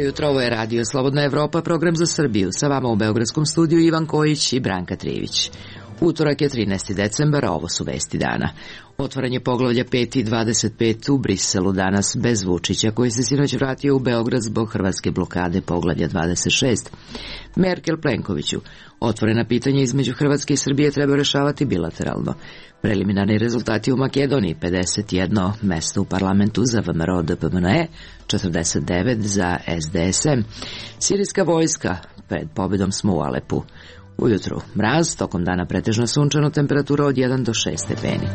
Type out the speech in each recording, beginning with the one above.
jutro, ovo je Radio Slobodna Evropa, program za Srbiju. Sa vama u Beogradskom studiju Ivan Kojić i Branka Trivić. Utorak je 13. decembar, a ovo su vesti dana. Otvaranje poglavlja 5 i 25 u Briselu danas bez Vučića, koji se sinoć vratio u Beograd zbog hrvatske blokade poglavlja 26. Merkel Plenkoviću. Otvorena pitanja između Hrvatske i Srbije treba rešavati bilateralno. Preliminarni rezultati u Makedoniji: 51 mesto u parlamentu za VMRO DPMNE, 49 za SDSM. Sirijska vojska: pred pobedom smo u Alepu. Ujutru mraz, tokom dana pretežno sunčano, temperatura od 1 do 6 stepeni.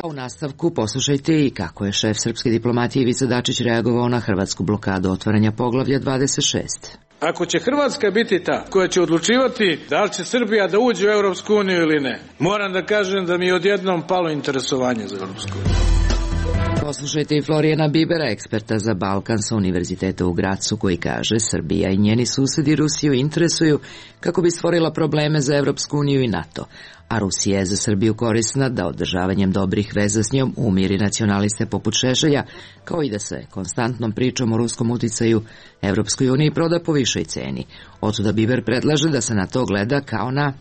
U nastavku poslušajte i kako je šef srpske diplomatije Ivica Dačić reagovao na hrvatsku blokadu otvaranja poglavlja 26. Ako će Hrvatska biti ta koja će odlučivati da li će Srbija da uđe u Europsku uniju ili ne, moram da kažem da mi je odjednom palo interesovanje za Europsku uniju. Poslušajte i Florijana Bibera, eksperta za Balkan sa Univerziteta u Gracu, koji kaže: Srbija i njeni susedi Rusiju interesuju kako bi stvorila probleme za Evropsku uniju i NATO, a Rusija je za Srbiju korisna da održavanjem dobrih veza s njom umiri nacionaliste poput Šešelja, kao i da se konstantnom pričom o ruskom uticaju Evropskoj uniji proda po višoj ceni. Otuda Biber predlaže da se na to gleda kao na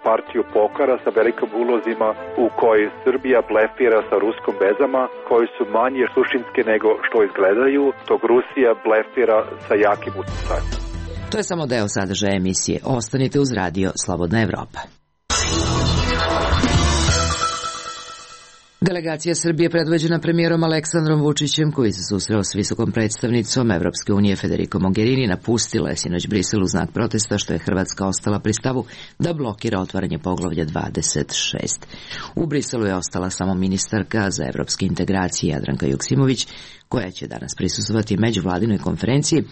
partiju pokara sa velikim ulozima u kojoj Srbija blefira sa ruskom vezama, koji su manje suštinske nego što izgledaju, dok Rusija blefira sa jakim uticajem. To je samo deo sadržaja emisije. Ostanite uz Radio Slobodna Evropa. Delegacija Srbije predvođena premijerom Aleksandrom Vučićem, koji se susreo s visokom predstavnicom Evropske unije Federico Mogherini, napustila je sinoć Brisel u znak protesta što je Hrvatska ostala pri stavu da blokira otvaranje poglavlja 26. U Briselu je ostala samo ministarka za evropske integracije Jadranka Joksimović, koja će danas prisustvovati međuvladinoj konferenciji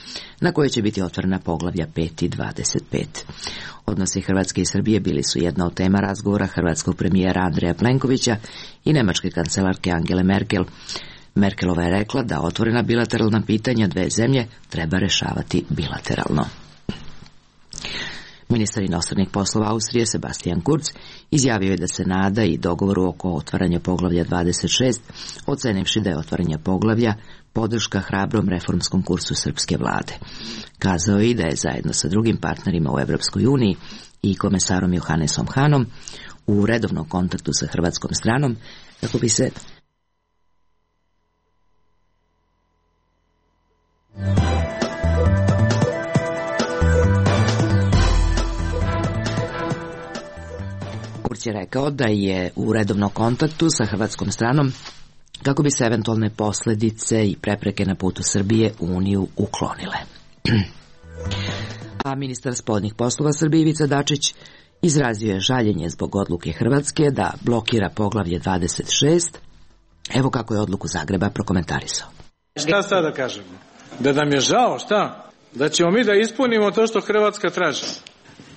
na kojoj će biti otvorena poglavlja 5 i 25. Odnosi Hrvatske i Srbije bili su jedna od tema razgovora hrvatskog premijera Andreja Plenkovića i nemačke kancelarke Angele Merkel. Merkelova je rekla da otvorena bilateralna pitanja dve zemlje treba rešavati bilateralno. Ministar inostranih poslova Austrije Sebastian Kurz izjavio je da se nada i dogovoru oko otvaranja poglavlja 26, ocenivši da je otvaranje poglavlja podrška hrabrom reformskom kursu srpske vlade. Kazao je i da je zajedno sa drugim partnerima u Evropskoj uniji i komesarom Johannesom Hanom u redovnom kontaktu sa hrvatskom stranom kako bi se Kurz je rekao da je u redovnom kontaktu sa hrvatskom stranom kako bi se eventualne posledice i prepreke na putu Srbije u Uniju uklonile. A ministar spoljnih poslova Srbije Ivica Dačić izrazio je žaljenje zbog odluke Hrvatske da blokira poglavlje 26. Evo kako je odluku Zagreba prokomentarisao. Šta sad da kažemo? Da nam je žao, šta? Da ćemo mi da ispunimo to što Hrvatska traži.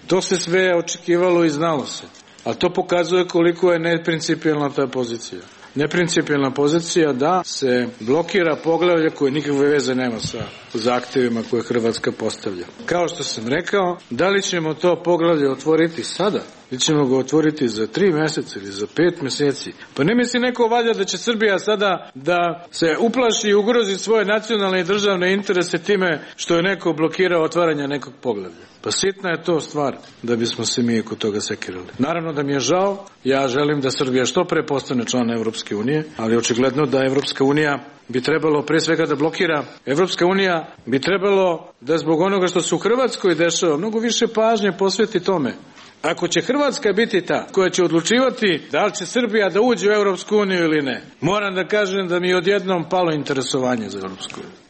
To se sve očekivalo i znalo se. A to pokazuje koliko je neprincipijelna ta pozicija. Neprincipijelna pozicija da se blokira poglavlje koje nikakve veze nema sa zahtjevima koje Hrvatska postavlja. Kao što sam rekao, da li ćemo to poglavlje otvoriti sada ili ćemo ga otvoriti za 3 mjeseca ili za 5 mjeseci? Pa ne misli neko valjda da će Srbija sada da se uplaši i ugrozi svoje nacionalne i državne interese time što je neko blokirao otvaranje nekog poglavlja. Pa sitna je to stvar da bismo se mi oko toga sekirali. Naravno da mi je žao, ja želim da Srbija što pre postane član Evropske unije, ali očigledno da Evropska unija bi trebalo pre svega da blokira. Evropska unija bi trebalo da zbog onoga što se u Hrvatskoj dešava mnogo više pažnje posveti tome. Ako će Hrvatska biti ta koja će odlučivati da li će Srbija da uđe u Evropsku uniju ili ne, moram da kažem da mi je odjednom palo interesovanje za Evropsku uniju.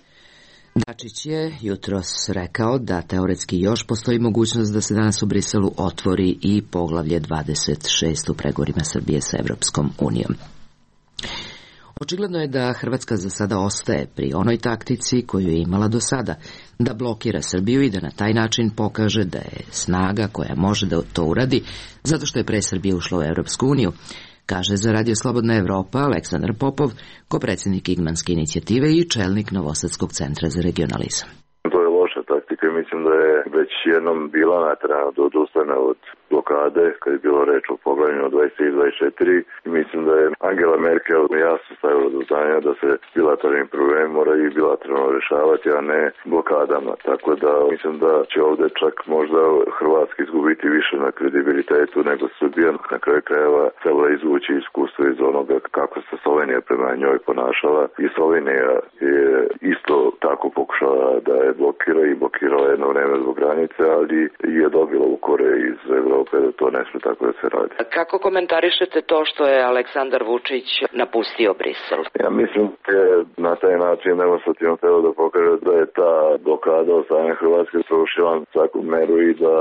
Dačić je jutros rekao da teoretski još postoji mogućnost da se danas u Briselu otvori i poglavlje 26 u pregovorima Srbije sa Evropskom unijom. Očigledno je da Hrvatska za sada ostaje pri onoj taktici koju je imala do sada, da blokira Srbiju i da na taj način pokaže da je snaga koja može da to uradi, zato što je pre Srbije ušla u Evropsku uniju, kaže za Radio Slobodna Evropa Aleksandar Popov, kopredsjednik Igmanske inicijative i čelnik Novosadskog centra za regionalizam. To je loša taktika i mislim da je već jednom bila naterana da odustane od blokade, kad je bilo reč o poglavljenju 23 i 24. I mislim da je Angela Merkel jasno stavila do znanja da se bilateralni problem moraju i bilateralno rešavati, a ne blokadama. Tako da mislim da će ovde čak možda Hrvatska izgubiti više na kredibilitetu nego Srbija. Na kraju krajeva trebala izvući iskustvo iz onoga kako se Slovenija prema njoj ponašala i Slovenija je isto tako pokušala da je blokirala jedno vreme zbog granice, ali je dobila ukore iz Evrope da to ne sme tako da se radi. Kako komentarišete to što je Aleksandar Vučić napustio Brisel? Ja mislim da je na taj način demonstrativno telo da pokaže da je ta blokada od strane Hrvatske srušila svaku meru i da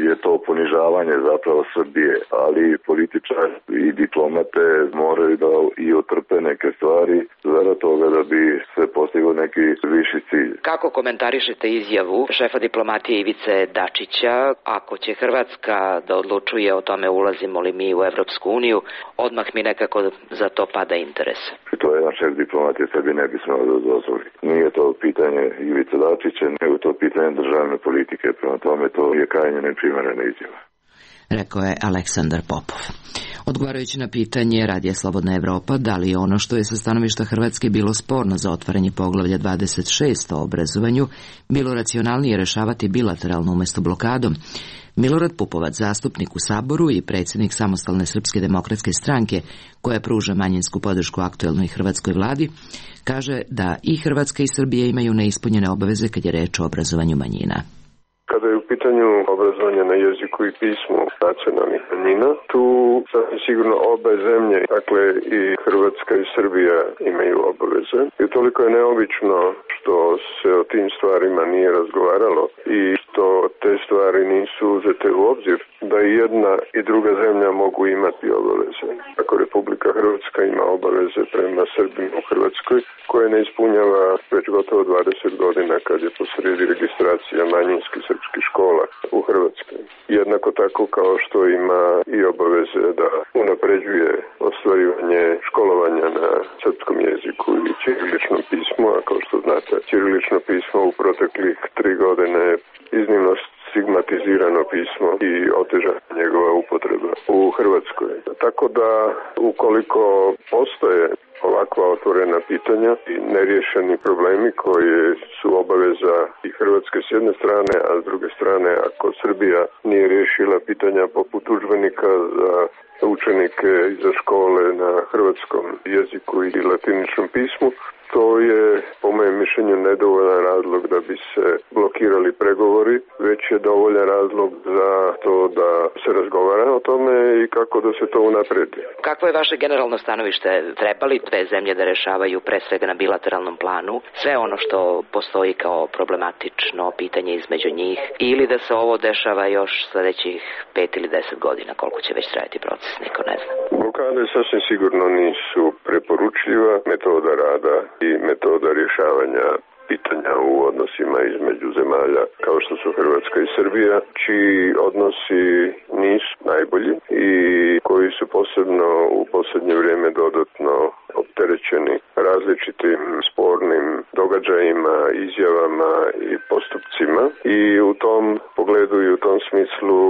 je to ponižavanje zapravo Srbije, ali političari i diplomate moraju da i otrpe neke stvari zarad toga da bi se postigao neki viši cilj. Kako komentarišete izjavu šefa diplomatije Ivice Dačića, ako će Hrvatska da odlučuje o tome ulazimo li mi u Evropsku uniju, odmah mi nekako za to pada interes? To je jedan šef diplomatije sebi ne bi smelo da dozvoli. Nije to pitanje Ivice Dačića, nego to pitanje državne politike, prema tome to je krajnje neprimerena izjava. Rekao je Aleksandar Popov. Odgovarajući na pitanje Radija Slobodna Evropa da li je ono što je sa stanovišta Hrvatske bilo sporno za otvaranje poglavlja 26 o obrazovanju bilo racionalnije rešavati bilateralno umesto blokadom, Milorad Pupovac, zastupnik u Saboru i predsjednik Samostalne srpske demokratske stranke, koja pruža manjinsku podršku aktuelnoj hrvatskoj vladi, kaže da i Hrvatska i Srbija imaju neispunjene obaveze kad je reč o obrazovanju manjina. Kada je u pitanju obrazovanja na jeziku i pismu nacionalnih manjina, tu sigurno obe zemlje, dakle i Hrvatska i Srbija imaju obaveze. I toliko je neobično što se o tim stvarima nije razgovaralo i što te stvari nisu uzete u obzir, da i jedna i druga zemlja mogu imati obaveze. Ako Republika Hrvatska ima obaveze prema Srbima u Hrvatskoj, koje ne ispunjava već gotovo 20 godina kad je posredi registracija manjinskih srpskih škola u Hrvatskoj. Jednako tako kao što ima i obaveze da unapređuje ostvarivanje školovanja na srpskom jeziku i ćiriličnom pismu, a kao što znate, ćirilično pismo u proteklih 3 godine iznimno stigmatizirano pismo i otežana njegova upotreba u Hrvatskoj. Tako da ukoliko postoje ovakva otvorena pitanja i neriješeni problemi koji su obaveza i Hrvatske s jedne strane, a s druge strane ako Srbija nije riješila pitanja poput udžbenika za učenike i za škole na hrvatskom jeziku i latiničnom pismu, to je po mojem mišljenju nedovoljan razlog da bi se blokirali pregovori, već je dovoljan razlog za to da se razgovara o tome i kako da se to unapredi. Kakvo je vaše generalno stanovište? Treba li dve zemlje da rešavaju pre svega na bilateralnom planu sve ono što postoji kao problematično pitanje između njih ili da se ovo dešava još sledećih 5 ili 10 godina, koliko će već trajati proces, niko ne zna. Blokade sasvim sigurno nisu preporučljiva metoda rada i metoda rješavanja pitanja u odnosima između zemalja kao što su Hrvatska i Srbija, čiji odnosi nisu najbolji i koji su posebno u posljednje vrijeme dodatno opterećeni različitim spornim događajima, izjavama i postupcima i u tom pogledu i u tom smislu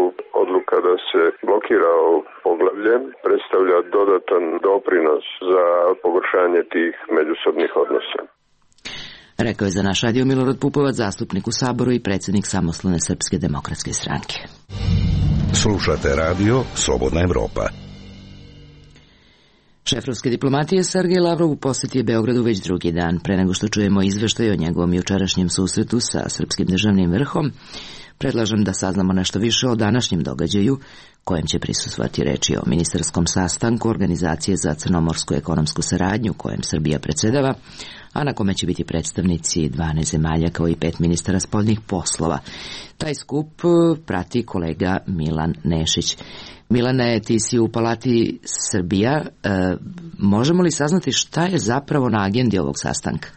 odluka da se blokira ovo poglavlje predstavlja dodatan doprinos za pogoršanje tih međusobnih odnosa. Rekao je za naš radio Milorad Pupovac, zastupnik u Saboru i predsjednik Samostalne srpske demokratske stranke. Slušate radio Slobodna Evropa. Šef ruske diplomatije Sergej Lavrov u posjeti je Beogradu već drugi dan. Pre nego što čujemo izveštaj o njegovom jučerašnjem susretu sa srpskim državnim vrhom, predlažem da saznamo nešto više o današnjem događaju, kojem će prisustvovati reči o ministarskom sastanku Organizacije za crnomorsku ekonomsku saradnju, kojem Srbija predsjedava, a na kome će biti predstavnici 12 zemalja kao i 5 ministara spoljnih poslova. Taj skup prati kolega Milan Nešić. Milane, ti si u Palati Srbija. Možemo li saznati šta je zapravo na agendi ovog sastanka?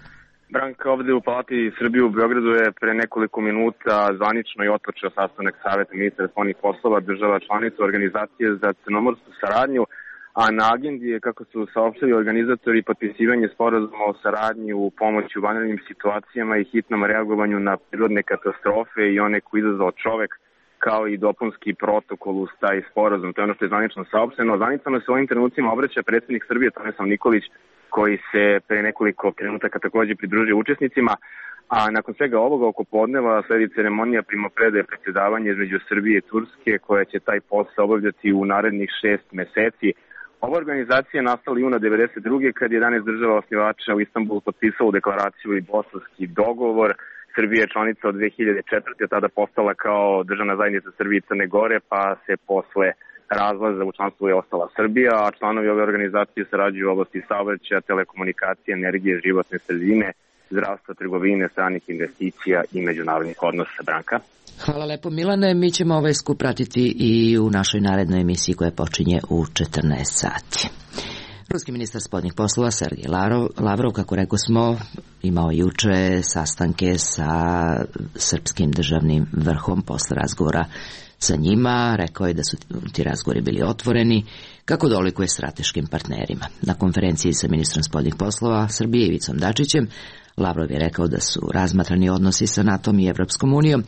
Branka, ovde u Palati Srbije u Beogradu je pre nekoliko minuta zvanično i otpočeo sastanak Saveta ministara spoljnih poslova država članica Organizacije za crnomorsku saradnju, a na agendi je, kako su saopštili organizatori, potpisivanje sporazuma o saradnji u pomoći u vanrednim situacijama i hitnom reagovanju na prirodne katastrofe i one koji izazvao čovek, kao i dopunski protokol uz taj sporazum. To je ono što je zvanično saopšteno. Zvanično se u ovim trenucima obraća predsjednik Srbije Tomislav Nikolić, koji se pre nekoliko trenutaka takođe pridružio učesnicima, a nakon svega ovoga oko podneva sledi ceremonija primopredaje predsjedavanja između Srbije i Turske, koja će taj posao obavljati u narednih 6 meseci. Ova organizacija je nastala juna 1992. kad je 11 država osnivača u Istanbulu potpisalo deklaraciju i Bosanski dogovor. Srbija je članica od 2004. tada postala kao državna zajednica Srbije i Crne Gore, pa se posle razlaza u članstvu je ostala Srbija, a članovi ove organizacije sarađuju u oblasti saobraćaja, telekomunikacije, energije, životne sredine, zdravstva, trgovine, stranih investicija i međunarodnih odnosa. Branka. Hvala lepo, Milane. Mi ćemo ovaj skup pratiti i u našoj narednoj emisiji koja počinje u 14 sati. Ruski ministar spoljnih poslova Sergej Lavrov, kako rekao smo, imao juče sastanke sa srpskim državnim vrhom posle razgovora sa njima. Rekao je da su ti razgovori bili otvoreni, kako dolikuje strateškim partnerima. Na konferenciji sa ministrom spoljnih poslova Srbije Ivicom Dačićem, Lavrov je rekao da su razmatrani odnosi sa NATO-om i Evropskom unijom,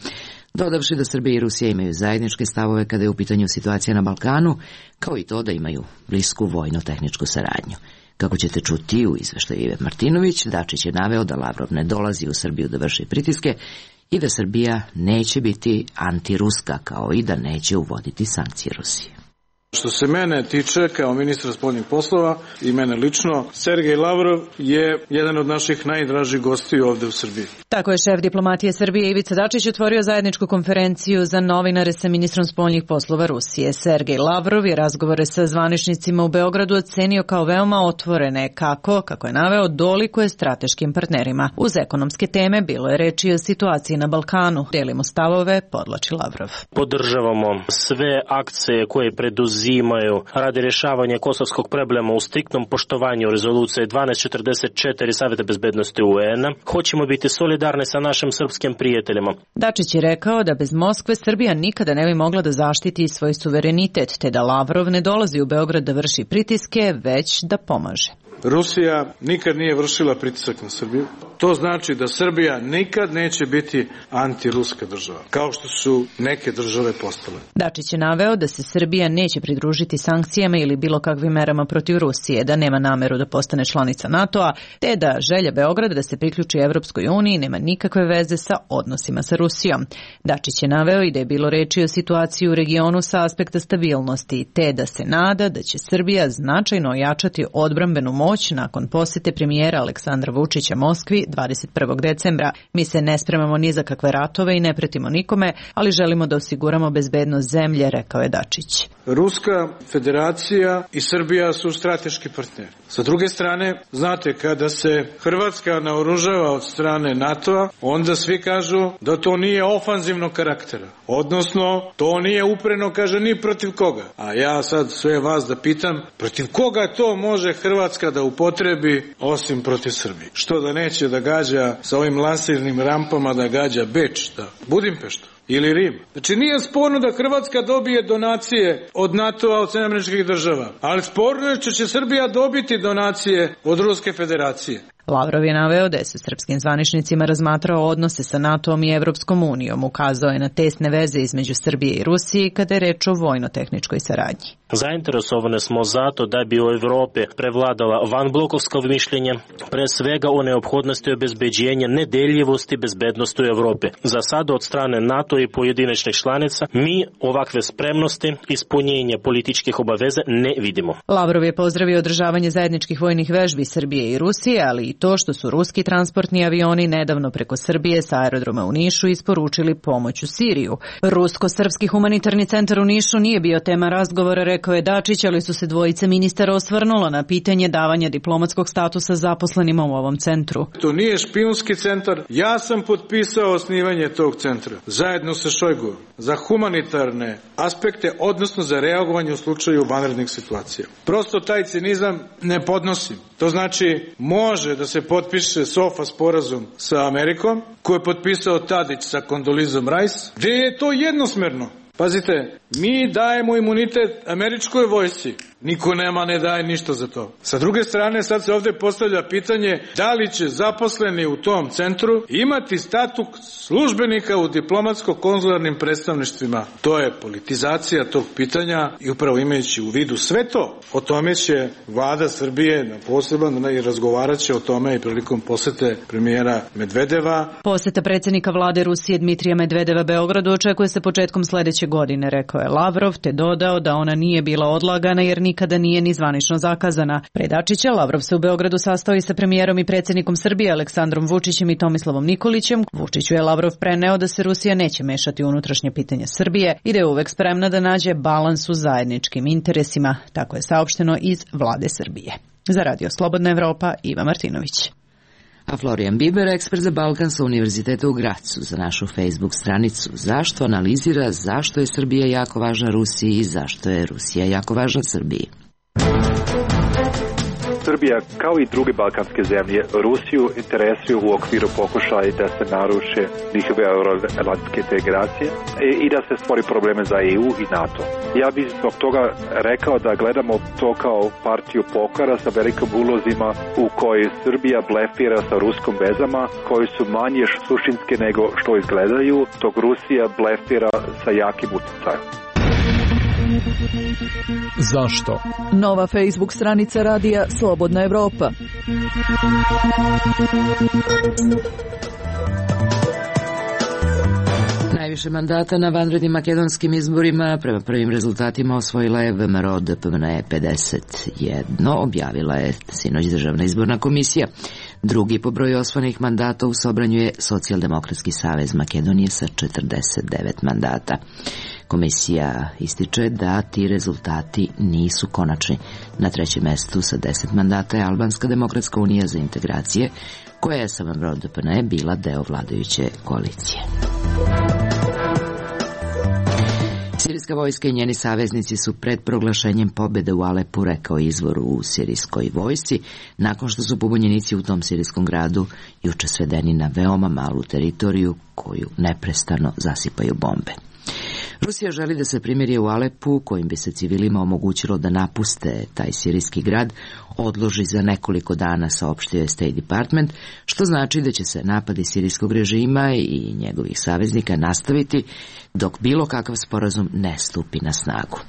dodavši da Srbija i Rusija imaju zajedničke stavove kada je u pitanju situacija na Balkanu, kao i to da imaju blisku vojno-tehničku saradnju. Kako ćete čuti u izveštaju Ive Martinović, Dačić je naveo da Lavrov ne dolazi u Srbiju da vrši pritiske i da Srbija neće biti antiruska, kao i da neće uvoditi sankcije Rusije. Što se mene tiče, kao ministra spoljnih poslova i mene lično, Sergej Lavrov je jedan od naših najdražih gostiju ovde u Srbiji. Tako je šef diplomatije Srbije Ivica Dačić otvorio zajedničku konferenciju za novinare sa ministrom spoljnih poslova Rusije. Sergej Lavrov je razgovore sa zvaničnicima u Beogradu ocenio kao veoma otvorene, kako je naveo, dolikuje strateškim partnerima. Uz ekonomske teme bilo je reči o situaciji na Balkanu. Delimo stavove, podvlači Lavrov. Podržavamo sve akcije koje preduzimaju radi rješavanja kosovskog problema u striktnom poštovanju rezolucije 1244 Saveta bezbednosti UN-a. Hoćemo biti solidarni sa našim srpskim prijateljima. Dačić je rekao da bez Moskve Srbija nikada ne bi mogla da zaštiti svoj suverenitet, te da Lavrov ne dolazi u Beograd da vrši pritiske, već da pomaže. Rusija nikad nije vršila pritisak na Srbiju. To znači da Srbija nikad neće biti antiruska država, kao što su neke države postale. Dačić je naveo da se Srbija neće pridružiti sankcijama ili bilo kakvim merama protiv Rusije, da nema nameru da postane članica NATO-a, te da želja Beograda da se priključi Evropskoj uniji nema nikakve veze sa odnosima sa Rusijom. Dačić je naveo i da je bilo reči o situaciji u regionu sa aspekta stabilnosti, te da se nada da će Srbija značajno ojačati odbrambenu moć nakon posete premijera Aleksandra Vučića Moskvi 21. decembra. Mi se ne spremamo ni za kakve ratove i ne pretimo nikome, ali želimo da osiguramo bezbednost zemlje, rekao je Dačić. Ruska federacija i Srbija su strateški partneri. Sa druge strane, znate, kada se Hrvatska naoružava od strane NATO-a, onda svi kažu da to nije ofanzivnog karaktera. Odnosno, to nije upreno, kaže, ni protiv koga. A ja sad sve vas da pitam, protiv koga to može Hrvatska da upotrebi osim protiv Srbije? Što da neće da gađa sa ovim lansirnim rampama, da gađa Beč, da Budimpeštu ili Rim. Znači nije sporno da Hrvatska dobije donacije od NATO-a, od SAD-a, ali sporno je što će Srbija dobiti donacije od Ruske federacije. Lavrov je naveo da je sa srpskim zvaničnicima razmatrao odnose sa NATO-om i Evropskom unijom, ukazao je na tesne veze između Srbije i Rusije kada je reč o vojno-tehničkoj saradnji. Zainteresovani smo zato da bi u Evropi prevladala vanblokovsko mišljenje, pre svega o neophodnosti obezbeđenja nedeljivosti bezbednosti u Evropi. Za sada od strane NATO i pojedinačnih članica mi ovakve spremnosti, ispunjenje političkih obaveza ne vidimo. Lavrov je pozdravio održavanje zajedničkih vojnih vežbi Srbije i Rusije, ali i to što su ruski transportni avioni nedavno preko Srbije sa aerodroma u Nišu isporučili pomoć u Siriju. Rusko-srpski humanitarni centar u Nišu nije bio tema razgovora, rekao je Dačić, ali su se dvojice ministara osvrnula na pitanje davanja diplomatskog statusa zaposlenima u ovom centru. To nije špijunski centar. Ja sam potpisao osnivanje tog centra zajedno sa Šojguom za humanitarne aspekte, odnosno za reagovanje u slučaju vanrednih situacija. Prosto taj cinizam ne podnosim. To znači može da se potpiše SOFA sporazum sa Amerikom, koji je potpisao Tadić sa Kondolizom Rice, gdje je to jednosmerno. Pazite, mi dajemo imunitet američkoj vojsci. Niko ne daje ništa za to. Sa druge strane, sad se ovde postavlja pitanje da li će zaposleni u tom centru imati status službenika u diplomatsko-konzularnim predstavništvima. To je politizacija tog pitanja i upravo imajući u vidu sve to, o tome će vlada Srbije na poseban i razgovarat će o tome i prilikom posete premijera Medvedeva. Poseta predsjednika vlade Rusije Dmitrija Medvedeva Beogradu očekuje se početkom sledeće godine, rekao je Lavrov, te dodao da ona nije bila odlagana jer nikada nije ni zvanično zakazana. Pre Dačića, Lavrov se u Beogradu sastao i sa premijerom i predsjednikom Srbije Aleksandrom Vučićem i Tomislavom Nikolićem. Vučiću je Lavrov preneo da se Rusija neće mešati u unutrašnje pitanje Srbije i da je uvek spremna da nađe balans u zajedničkim interesima, tako je saopšteno iz vlade Srbije. Za Radio Slobodna Evropa, Iva Martinović. A Florijan Biber, ekspert za Balkan sa Univerziteta u Gracu, za našu Facebook stranicu Zašto analizira zašto je Srbija jako važna Rusiji i zašto je Rusija jako važna Srbiji. Srbija, kao i druge balkanske zemlje, Rusiju interesuju u okviru pokušaja da se naruše njihove euroatlantske integracije i da se stvori probleme za EU i NATO. Ja bih zbog toga rekao da gledamo to kao partiju pokora sa velikim ulozima u kojoj Srbija blefira sa ruskom vezama, koji su manje suštinske nego što izgledaju, dok Rusija blefira sa jakim utjecajem. Zašto? Nova Facebook stranica radija Slobodna Evropa. Najviše mandata na vanrednim makedonskim izborima prema prvim rezultatima osvojila je VMRO DPMNE 51, objavila je sinoć Državna izborna komisija. Drugi po broju osvojenih mandata u Sobranju je Socijaldemokratski savez Makedonije sa 49 mandata. Komisija ističe da ti rezultati nisu konačni. Na trećem mestu sa 10 mandata je Albanska demokratska unija za integracije, koja je sa VMRO DPMNE bila deo vladajuće koalicije. Sirijska vojska i njeni saveznici su pred proglašenjem pobjede u Alepu, rekao izvor u sirijskoj vojsci, nakon što su pobunjenici u tom sirijskom gradu juče svedeni na veoma malu teritoriju koju neprestano zasipaju bombe. Rusija želi da se primirje u Alepu, kojim bi se civilima omogućilo da napuste taj sirijski grad, odloži za nekoliko dana, saopštio je State Department, što znači da će se napadi sirijskog režima i njegovih saveznika nastaviti dok bilo kakav sporazum ne stupi na snagu.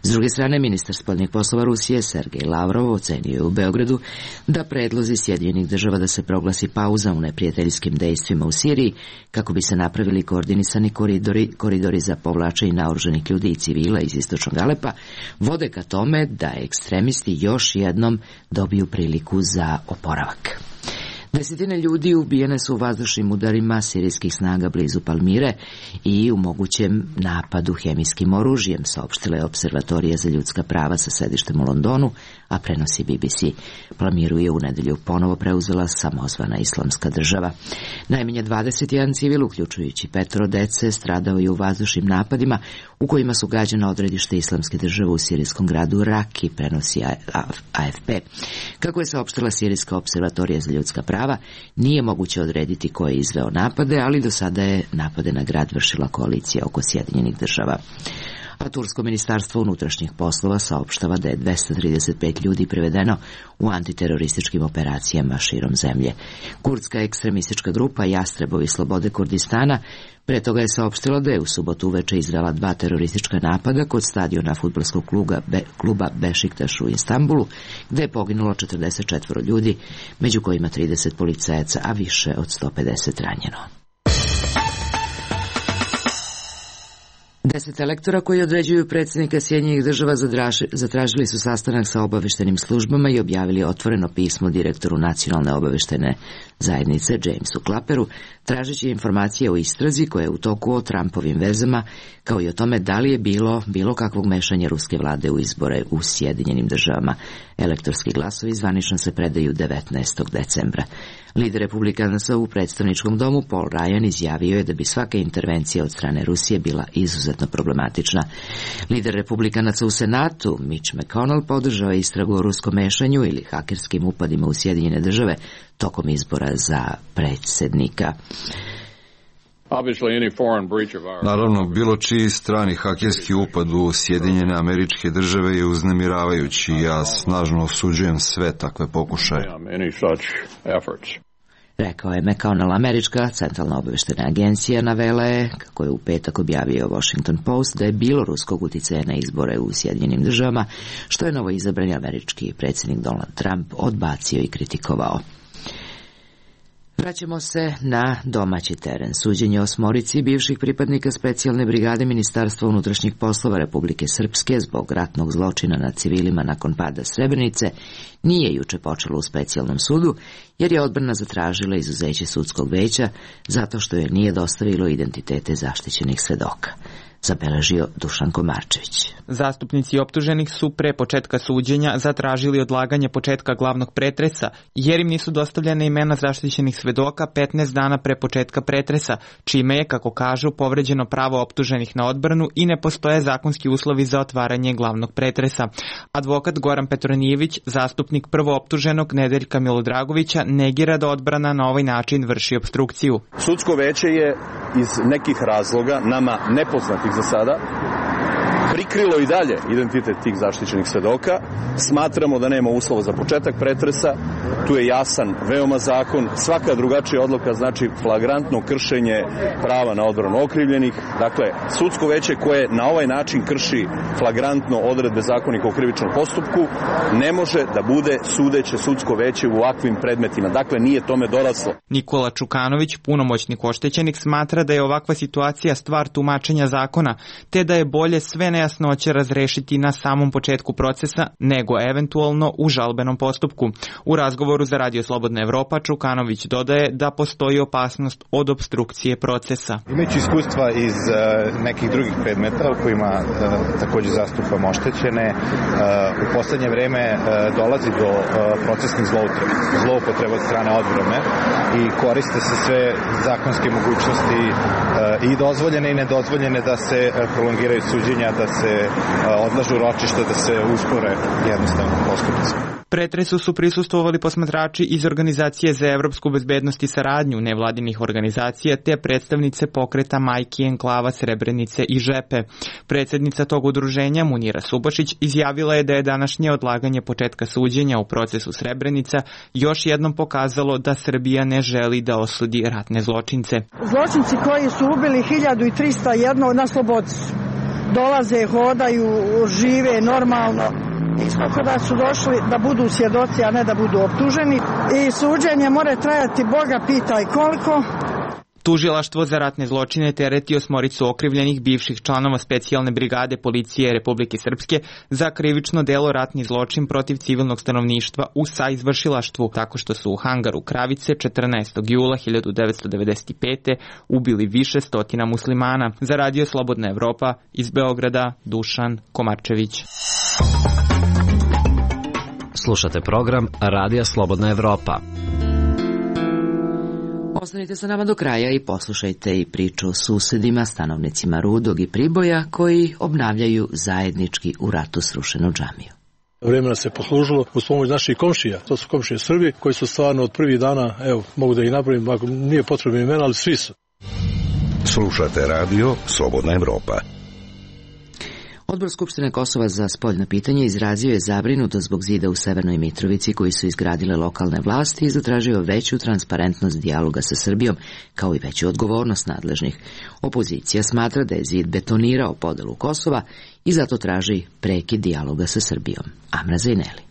S druge strane, ministar spoljnih poslova Rusije Sergej Lavrov ocenio je u Beogradu da predlozi Sjedinjenih država da se proglasi pauza u neprijateljskim dejstvima u Siriji kako bi se napravili koordinisani koridori za povlačenje naoružanih ljudi i civila iz istočnog Alepa vode ka tome da ekstremisti još jednom dobiju priliku za oporavak. Desetine ljudi ubijene su u vazdušnim udarima sirijskih snaga blizu Palmire i u mogućem napadu hemijskim oružjem, saopštila je Observatorija za ljudska prava sa sedištem u Londonu, a prenosi BBC. Palmiru je u nedelju ponovo preuzela samozvana Islamska država. Najmanje 21 civil, uključujući 5 dece, stradao je u vazdušnim napadima u kojima su gađana odredište Islamske države u sirijskom gradu Raki, prenosi AFP. Kako je saopštila Sirijska observatorija za ljudska prava, nije moguće odrediti ko je izveo napade, ali do sada je napade na grad vršila koalicija oko Sjedinjenih država. A Tursko ministarstvo unutrašnjih poslova saopštava da je 235 ljudi privedeno u antiterorističkim operacijama širom zemlje. Kurdska ekstremistička grupa Jastrebovi slobode Kurdistana pre toga je saopštila da je u subotu uveče izvela 2 teroristička napada kod stadiona fudbalskog kluba Bešiktaš u Istanbulu, gde je poginulo 44 ljudi, među kojima 30 policajaca, a više od 150 ranjeno. 10 elektora koji određuju predsjednika Sjedinjenih država zatražili su sastanak sa obaveštenim službama i objavili otvoreno pismo direktoru Nacionalne obaveštajne zajednice Jamesu Clapperu, tražeći informacije o istrazi koja je u toku o Trumpovim vezama, kao i o tome da li je bilo kakvog mešanja ruske vlade u izbore u Sjedinjenim državama. Elektorski glasovi zvanično se predaju 19. decembra. Lider republikanaca u predstavničkom domu Paul Ryan izjavio je da bi svaka intervencija od strane Rusije bila izuzetno problematična. Lider republikanaca u Senatu Mitch McConnell podržao je istragu o ruskom mešanju ili hakerskim upadima u Sjedinjene države tokom izbora za predsjednika. Naravno, bilo čiji strani hakerski upad u Sjedinjene Američke Države je uznemiravajući i ja snažno osuđujem sve takve pokušaje. Rekao je McConnell. Američka centralna obavještajna agencija navela je, kako je u petak objavio Washington Post, da je bilo ruskog uticaja na izbore u Sjedinjenim Državama, što je novoizabrani američki predsjednik Donald Trump odbacio i kritikovao. Vraćamo se na domaći teren. Suđenje 8 bivših pripadnika specijalne brigade Ministarstva unutrašnjih poslova Republike Srpske zbog ratnog zločina nad civilima nakon pada Srebrenice nije juče počelo u specijalnom sudu, jer je odbrana zatražila izuzeće sudskog veća zato što joj nije dostavilo identitete zaštićenih svedoka. Zabeležio Dušan Komarčević. Zastupnici optuženih su pre početka suđenja zatražili odlaganje početka glavnog pretresa, jer im nisu dostavljene imena zaštićenih svedoka 15 dana pre početka pretresa, čime je, kako kažu, povređeno pravo optuženih na odbranu i ne postoje zakonski uslovi za otvaranje glavnog pretresa. Advokat Goran Petronijević, zastupnik prvooptuženog Nedeljka Milodragovića, negira da odbrana na ovaj način vrši opstrukciju. Sudsko veće je iz nekih razloga, nama nepoznatih za sada, prikrilo i dalje identitet tih zaštićenih svedoka. Smatramo da nema uslova za početak pretresa. Tu je jasan veoma zakon. Svaka drugačija odluka znači flagrantno kršenje prava na odbranu okrivljenih. Dakle, sudsko veće koje na ovaj način krši flagrantno odredbe Zakonika o krivičnom postupku ne može da bude sudeće sudsko veće u ovakvim predmetima. Dakle, nije tome doraslo. Nikola Čukanović, punomoćnik oštećenih, smatra da je ovakva situacija stvar tumačenja zakona, te da je bolje sve nejasnoće razrešiti na samom početku procesa nego eventualno u žalbenom postupku. U razgovoru za Radio Slobodna Evropa Čukanović dodaje da postoji opasnost od opstrukcije procesa. Imajući iskustva iz nekih drugih predmeta u kojima također zastupamo oštećene, u poslednje vreme dolazi do procesnih zloupotreba od strane odbrane i koriste se sve zakonske mogućnosti i dozvoljene i nedozvoljene da se prolongiraju suđenja, da se odlažu ročišta, da se uspore jednostavno postupci. Pretresu su prisustvovali posmatrači iz Organizacije za evropsku bezbednost i saradnju nevladinih organizacija te predstavnice pokreta Majki enklava Srebrenice i Žepe. Predsjednica tog udruženja Munira Subašić izjavila je da je današnje odlaganje početka suđenja u procesu Srebrenica još jednom pokazalo da Srbija ne želi da osudi ratne zločince. Zločinci koji su ubili 1301 na slobodi su. Dolaze, hodaju, žive normalno. Isto da su došli da budu svjedoci, a ne da budu optuženi. I suđenje mora trajati, Boga pitaj koliko. Tužilaštvo za ratne zločine tereti 8 okrivljenih bivših članova specijalne brigade policije Republike Srpske za krivično delo ratni zločin protiv civilnog stanovništva u saizvršilaštvu, tako što su u hangaru Kravice 14. jula 1995. ubili više stotina muslimana. Za Radio Slobodna Evropa iz Beograda, Dušan Komarčević. Slušate program Radija Slobodna Evropa. Ostanite sa nama do kraja i poslušajte i priču o susedima, stanovnicima Rudog i Priboja koji obnavljaju zajednički u ratu srušenu džamiju. Vremena se poslužilo uz pomoć naših komšija. To su komšije Srbi koji su stvarno od prvih dana, evo, mogu da ih napravim, ako nije potrebno imena, ali svi su. Slušate radio Slobodna Evropa. Odbor Skupštine Kosova za spoljna pitanja izrazio je zabrinutost zbog zida u Severnoj Mitrovici koji su izgradile lokalne vlasti i zatražio veću transparentnost dijaloga sa Srbijom, kao i veću odgovornost nadležnih. Opozicija smatra da je zid betonirao podelu Kosova i zato traži prekid dijaloga sa Srbijom. Amra Zajneli.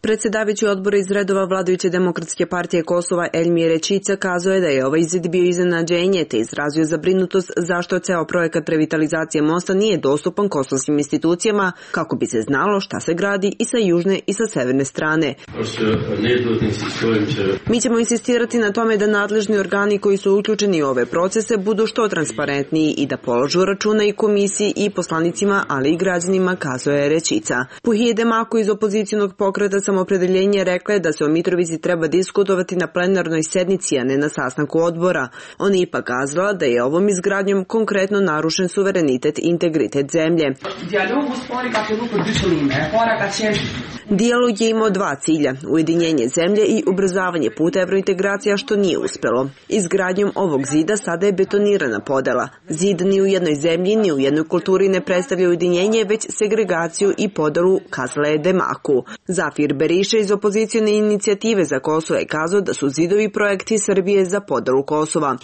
Predsjedavajući odbora iz redova vladajuće demokratske partije Kosova Elmir Rečica kazao je da je ovaj zid bio iznenađenje te izrazio zabrinutost zašto ceo projekat revitalizacije mosta nije dostupan kosovskim institucijama kako bi se znalo šta se gradi i sa južne i sa severne strane. Mi ćemo insistirati na tome da nadležni organi koji su uključeni u ove procese budu što transparentniji i da polažu računa i komisiji i poslanicima, ali i građanima, kazao je Rečica. Puhije Demako iz opozicionog pokreta Sam opredeljenje rekla je da se o Mitrovici treba diskutovati na plenarnoj sednici, a ne na sastanku odbora. On je ipak kazala da je ovom izgradnjom konkretno narušen suverenitet i integritet zemlje. Dijalog je imao dva cilja, ujedinjenje zemlje i ubrzavanje puta evrointegracija, što nije uspelo. Izgradnjom ovog zida sada je betonirana podela. Zid ni u jednoj zemlji, ni u jednoj kulturi ne predstavlja ujedinjenje, već segregaciju i podelu, kazala je Demaku. Zafir Beriša iz opozicione inicijative za Kosovo je kazao da su zidovi projekti Srbije za podelu Kosova.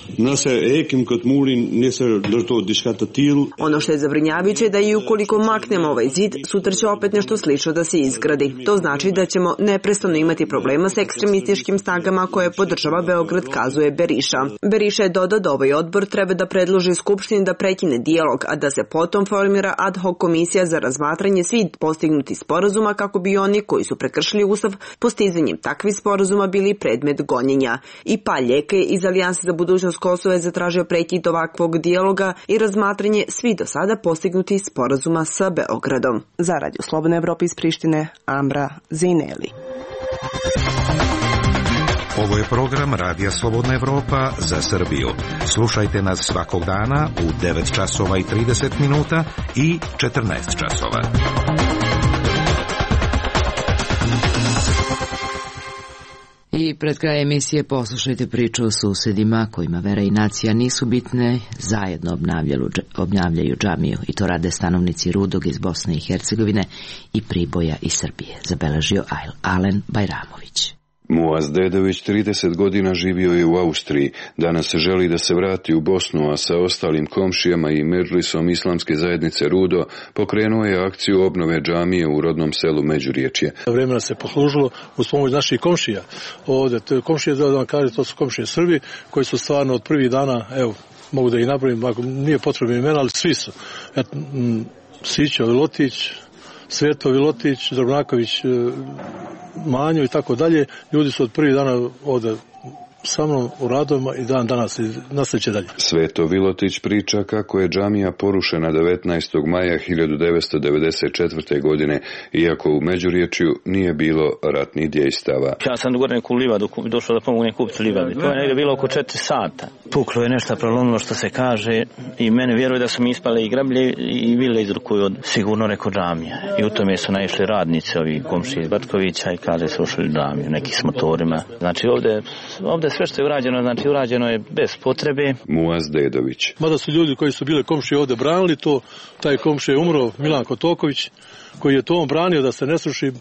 Ono što je zabrinjavajuće je da i ukoliko maknemo ovaj zid, sutra će opet nešto slično da se izgradi. To znači da ćemo neprestano imati problema s ekstremističkim snagama koje podržava Beograd, kazuje Beriša. Beriša je dodao da ovaj odbor treba da predloži Skupštini da prekine dijalog, a da se potom formira ad hoc komisija za razmatranje svih postignutih sporazuma kako bi oni koji su prekršili Ustav postizanjem takvih sporazuma bili predmet gonjenja. I Paljeka iz Alijanse za budućnost Kosova je zatražio prekid ovakvog dijaloga i razmatranje svih do sada postignutih sporazuma sa Beogradom. Za Radio Slobodna Evropa iz Prištine, Amra Zejneli. Ovo je program Radija Slobodna Evropa za Srbiju. Slušajte nas svakog dana u 9 časova i 30 minuta i 14 časova. I pred kraj emisije poslušajte priču o susedima kojima vera i nacija nisu bitne, zajedno obnavljaju džamiju i to rade stanovnici Rudog iz Bosne i Hercegovine i Priboja iz Srbije, zabeležio Alen Bajramović. Muaz Dedović 30 godina živio je u Austriji, danas želi da se vrati u Bosnu, a sa ostalim komšijama i medžlisom islamske zajednice Rudo pokrenuo je akciju obnove džamije u rodnom selu Međuriječje. Vremena se poslužilo uz pomoć naših komšija. Ovdje, komšije, da vam kažem, to su komšije Srbi koji su stvarno od prvih dana, evo, mogu da ih napravim, ako nije potrebno imena, ali svi su. Sićo Vilotić, Sveto Vilotić, Drobnaković, Manjo i tako dalje. Ljudi su od prvih dana ovdje sa mnom u radovima i dan danas i nastavit dalje. Sveto Vilotić priča kako je džamija porušena 19. maja 1994. godine, iako u Međuriječju nije bilo ratnih djejstava. Ja sam gore neku livadu došao da pomogu kupiti livadu. To je negdje bilo oko 4 sata. Puklo je nešto, prolomilo što se kaže i mene vjeruje da su mi ispale i grablje i vile izrukuju od sigurno neko džamija. I u tome su naišli radnici, ovi komšiji iz Batkovića i kaže su ušli džamiju, neki s motorima. Znači ovdje sve što je urađeno, znači urađeno je bez potrebe. Muaz Dedović. Mada su ljudi koji su bile komšije ovdje branili to, taj komšije je umro, Milan Kotoković, koji je to on branio da se ne sruši,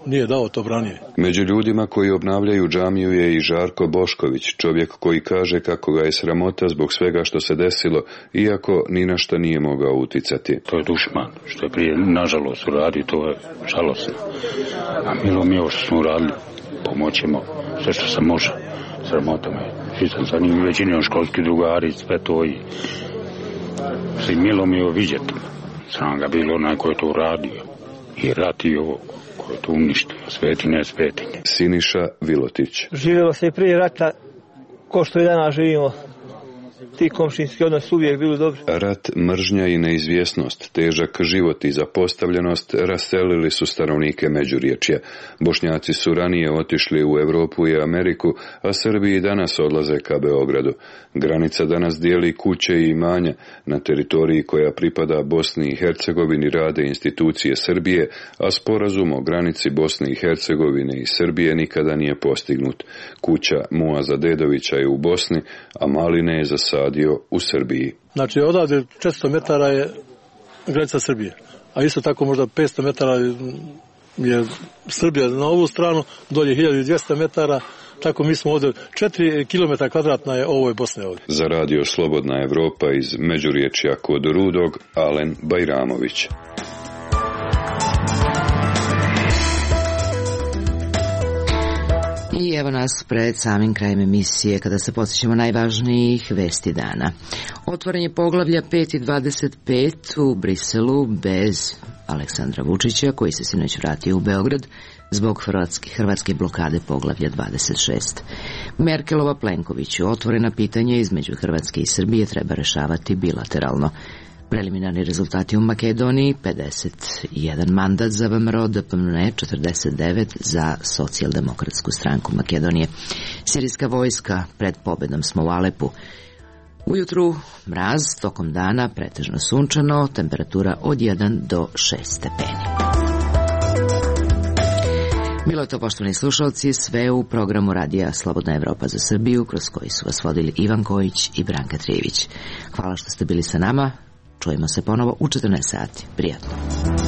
nije dao to branije. Među ljudima koji obnavljaju džamiju je i Žarko Bošković, čovjek koji kaže kako ga je sramota zbog svega što se desilo, iako ni na šta nije mogao uticati. To je dušman, što je prije nažalost uradio, to je žalosno. A milo mi ovo što smo uradili, pomoćemo sve što se može. Sramota me. Svi sam sa njim većinom školski drugari, sve to i svi milo mi je vidjeti. Sam ga bilo onaj koji je to uradio i rati ovo koji je to uništio, sveti ne svetinje. Siniša Vilotić. Živjelo se i prije rata ko što i danas živimo. Ti komšinski odnos uvijek bili dobri. Rat, mržnja i neizvjesnost, težak život i zapostavljenost raselili su stanovnike Međuriječja. Bošnjaci su ranije otišli u Europu i Ameriku, a Srbi i danas odlaze ka Beogradu. Granica danas dijeli kuće i imanja. Na teritoriji koja pripada Bosni i Hercegovini rade institucije Srbije, a sporazum o granici Bosne i Hercegovine i Srbije nikada nije postignut. Kuća Muaza Dedovića je u Bosni, a Maline je zasadio u Srbiji. Znači odavde 400 metara je granica Srbije, a isto tako možda 500 metara je Srbija na ovu stranu, dolje 1200 metara, tako mi smo ovdje 4 km kvadratna je ovo je Bosne ovdje. Za Radio Slobodna Evropa iz Međuriječja kod Rudog, Alen Bajramović. I evo nas pred samim krajem emisije kada se podsjećamo najvažnijih vesti dana. Otvaranje poglavlja 5 i 25 u Briselu bez Aleksandra Vučića koji se sinoć vratio u Beograd zbog hrvatske blokade poglavlja 26. Merkelova Plenkoviću otvorena pitanja između Hrvatske i Srbije treba rešavati bilateralno. Preliminarni rezultati u Makedoniji: 51 mandat za VMRO, DPMNE 49 za Socijaldemokratsku stranku Makedonije. Sirijska vojska: pred pobedom smo u Alepu. Ujutru mraz, tokom dana pretežno sunčano, temperatura od 1 do 6 stepeni. Bilo je to, poštovani slušalci, sve u programu Radija Slobodna Evropa za Srbiju, kroz koji su vas vodili Ivan Kojić i Branka Trijević. Hvala što ste bili sa nama. Čujemo se ponovo u 14 sati. Prijatno.